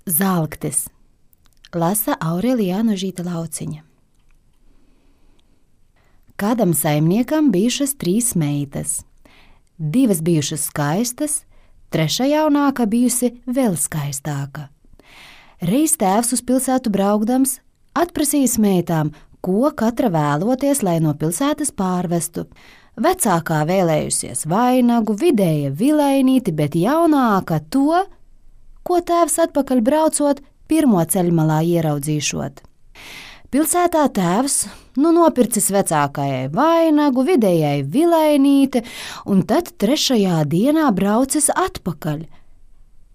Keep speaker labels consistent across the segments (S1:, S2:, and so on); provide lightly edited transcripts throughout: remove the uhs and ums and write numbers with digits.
S1: Zalktis. Lasa Aurelija Anožīta Lauciņa. Kādam saimniekam bijušas 3 meitas. 2 bijušas skaistas, 3 jaunāka bijusi vēl skaistāka. Reiz tēvs uz pilsētu braukdams atprasījis meitām, ko katra vēloties, lai no pilsētas pārvestu. Vecākā vēlējusies vainagu, vidēja vilainīti, bet jaunāka to, ko tēvs atpakaļ braucot, pirmo ceļmalā ieraudzīšot. Pilsētā tēvs nopircis vecākajai vainagu, vidējai vilainīti, un tad 3. dienā braucis atpakaļ.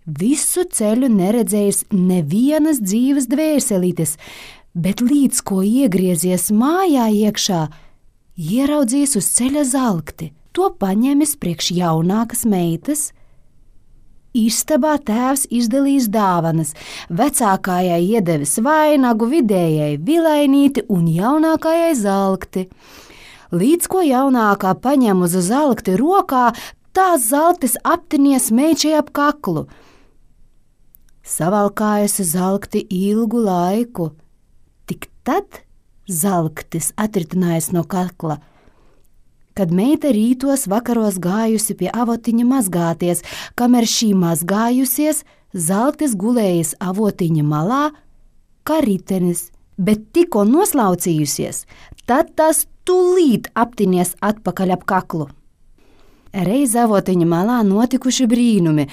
S1: Visu ceļu neredzējis nevienas dzīves dvēselītes, bet līdz ko iegriezies mājā iekšā, ieraudzījis uz ceļa zalkti. To paņēmis priekš jaunākas meitas. Istabā tēvs izdalījis dāvanas, vecākajai iedevis vainagu, vidējai vilainīti un jaunākajai zalkti. Līdz ko jaunākā paņem uz zalkti rokā, tās zalktis aptinies meičai ap kaklu. Savalkājusi zalkti ilgu laiku, tik tad zalktis atritinājis no kakla. Kad meita rītos vakaros gājusi pie avotiņa mazgāties, kamēr šī mazgājusies, zalktis gulējis avotiņa malā kā ritenis, bet tikko noslaucījusies, tad tas tūlīt aptinies atpakaļ ap kaklu. Reiz avotiņa malā notikuši brīnumi.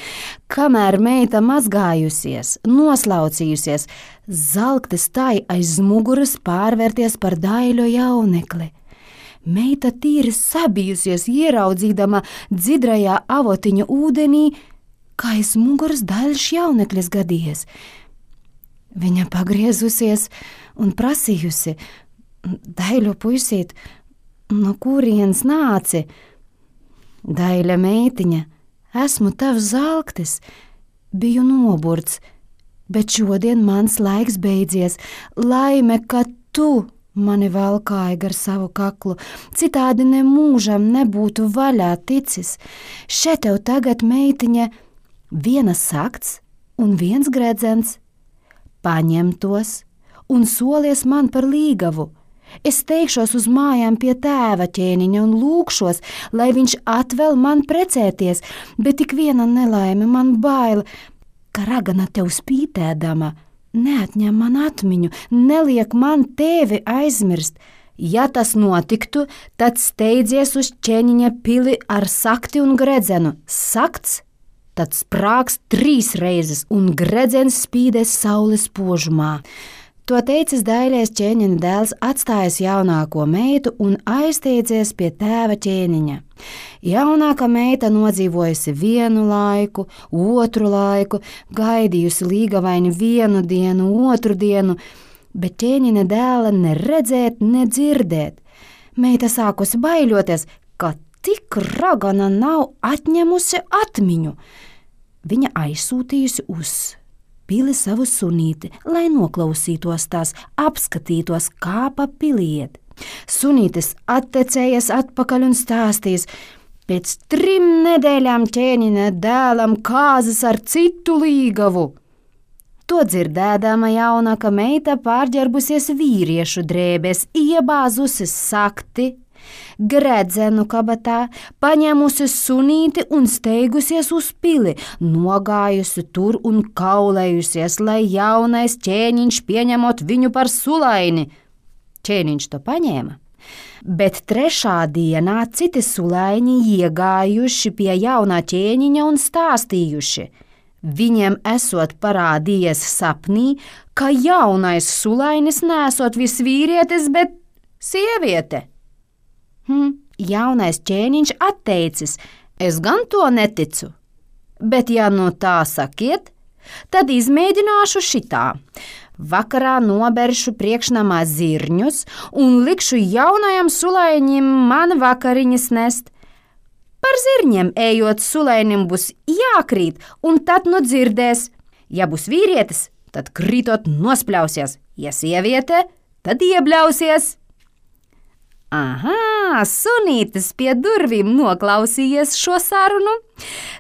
S1: Kamēr meita mazgājusies, noslaucījusies, zalktis tai aiz muguras pārvērties par daļu jaunekli. Meita tīri sabijusies, ieraudzīdama dzidrajā avotiņa ūdenī, kā aiz muguras daļš jauneklis gadījies. Viņa pagriezusies un prasījusi: Daļu puisīt, no kurienes nāci? Daļa meitiņa: esmu tavs zalktis, biju noburts, bet šodien mans laiks beidzies, laime, ka tu mani valkāja gar savu kaklu, citādi nemūžam nebūtu vaļā ticis. Še tev tagad, meitiņa, 1 sakts un 1 gredzens. Paņem tos un solies man par līgavu. Es teikšos uz mājām pie tēva ķēniņa un lūkšos, lai viņš atvēl man precēties, bet tik viena nelaime man bail, ka ragana tev spītēdama neatņem man atmiņu, neliek man tevi aizmirst. Ja tas notiktu, tad steidzies uz ķēniņa pili ar sakti un gredzenu. Sakts, tad sprāgs 3 reizes un gredzens spīdēs saules požumā. To teicis daļais ķēniņa dēls, atstājis jaunāko meitu un aizteicies pie tēva ķēniņa. Jaunākā meita nodzīvojusi 1 laiku, 2 laiku, gaidījusi līgavaini 1 dienu, 2 dienu, bet ķēniņa dēla ne redzēt, ne dzirdēt. Meita sākusi baiļoties, ka tik ragana nav atņemusi atmiņu. Viņa aizsūtījusi uz pili savu sunīti, lai noklausītos tās, apskatītos, kā pa piliet. Sunītis attecējies atpakaļ un stāstīs: pēc 3 nedēļām ķēniņa dēlam kāzas ar citu līgavu. To dzirdēdama jaunāka meita pārģērbusies vīriešu drēbēs, iebāzusi sakti, gredzenu kabatā, paņēmusi sunīti un steigusies uz pili, nogājusi tur un kaulējusies, lai jaunais ķēniņš pieņemot viņu par sulaini. Ķēniņš to paņēma, bet 3. dienā citi sulaini iegājuši pie jaunā ķēniņa un stāstījuši. Viņiem esot parādījies sapnī, ka jaunais sulainis nesot visvīrietis, bet sieviete. Jaunais ķēniņš atteicis: es gan to neticu, bet ja no tā sakiet, tad izmēģināšu šitā. Vakarā noberšu priekšnamā zirņus un likšu jaunajam sulainim man vakariņas nest. Par zirņiem ejot sulainim būs jākrīt, un tad nu dzirdēs. Ja būs vīrietis, tad kritot nospļausies, ja sieviete, tad iebļausies. Aha, sunītis pie durvīm noklausījies šo sarunu.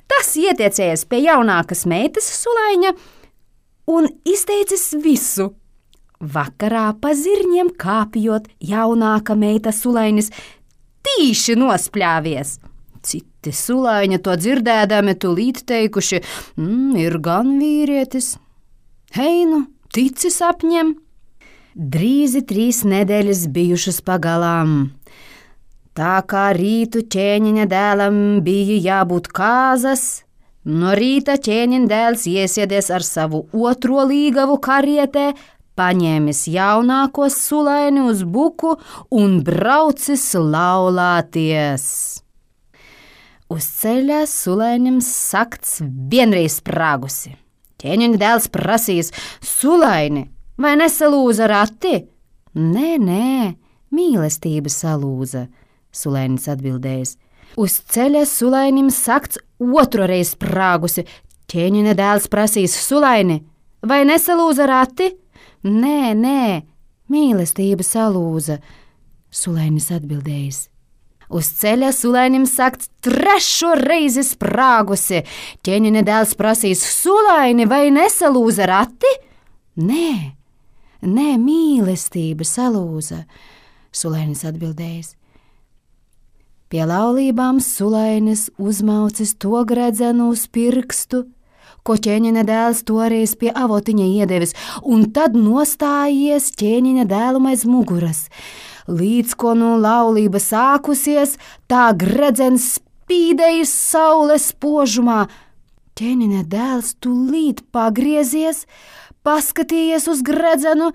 S1: Tas ietiecējies pie jaunākas meitas sulaiņa un izteicis visu. Vakarā pa zirņiem kāpjot, jaunāka meita Sulainis tīši nospļāvies. Citi sulaiņi to dzirdēdami tūlīt teikuši, ir gan vīrietis. Hei nu, tici sapņiem! Drīzi 3 nedēļas bijušas pagalām. Tā kā rītu ķēniņa dēlam bija jābūt kāzas, no rīta ķēniņa dēls iesiedies ar savu otro līgavu karietē, paņēmis jaunāko sulaini uz buku un braucis laulāties. Uz ceļa sulainim sakts vienreiz sprāgusi. Ķēniņa dēls prasīs: Sulaini, vai nesalūza rati? Nē, mīlestība salūza, sulainis atbildējis. Uz ceļa sulainim sakts otroreiz sprāgusi. Ķēniņa dēls prasīs: Sulaini, vai nesalūza rati? Nē, mīlestība salūza, sulainis atbildējis. Uz ceļa sulainim sakts 3. reizi sprāgusi. Ķēniņa dēls prasīs: Sulaini, vai nesalūza rati? Nē, mīlestība salūza, sulainis atbildējis. Pie laulībām sulainis uzmaucis to gredzenu uz pirkstu, ko ķēniņa dēls toreiz pie avotiņa iedevis, un tad nostājies ķēniņa dēlum aiz muguras. Līdz ko no laulība sākusies, tā gredzens spīdējis saules spožumā. Ķēniņa dēls tūlīt pagriezies, paskatījies uz gredzenu,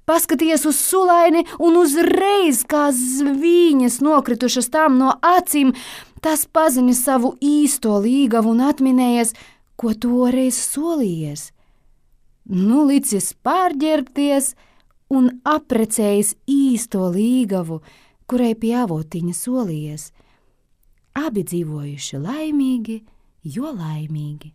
S1: paskatījies uz sulaini un uzreiz, kā zvīņas nokritušas tām no acīm, tas paziņa savu īsto līgavu un atminējies, ko toreiz solījies. Nu licis pārģērbties un aprecējis īsto līgavu, kurai pie avotiņa solījies. Abi dzīvojuši laimīgi, jo laimīgi.